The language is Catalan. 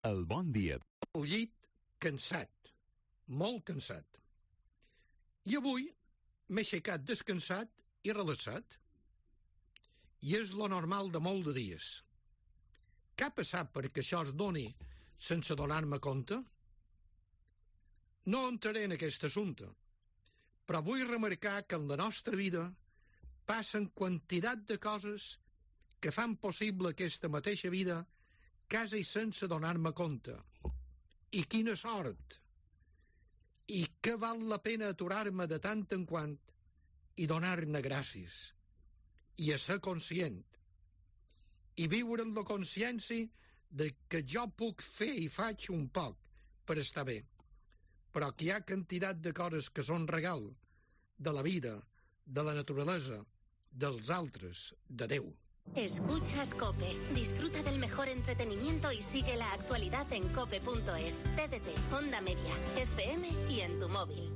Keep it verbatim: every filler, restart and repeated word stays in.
El bon dia. Al llit, cansat, molt cansat. I avui m'he aixecat descansat i relaxat. I és lo normal de molt de dies. Què ha passat perquè això es doni sense donar-me compte? No entraré en aquest assumpte, però vull remarcar que en la nostra vida passen quantitat de coses que fan possible aquesta mateixa vida quasi sense donar-me compte. I quina sort! I que val la pena aturar-me de tant en quant i donar-ne gràcies, i a ser conscient, i viure amb la consciència de que jo puc fer i faig un poc per estar bé, però que hi ha quantitat de coses que són regal de la vida, de la naturalesa, dels altres, de Déu. Escuchas COPE. Disfruta del mejor entretenimiento y sigue la actualidad en cope punto es. T D T, Onda Media, F M y en tu móvil.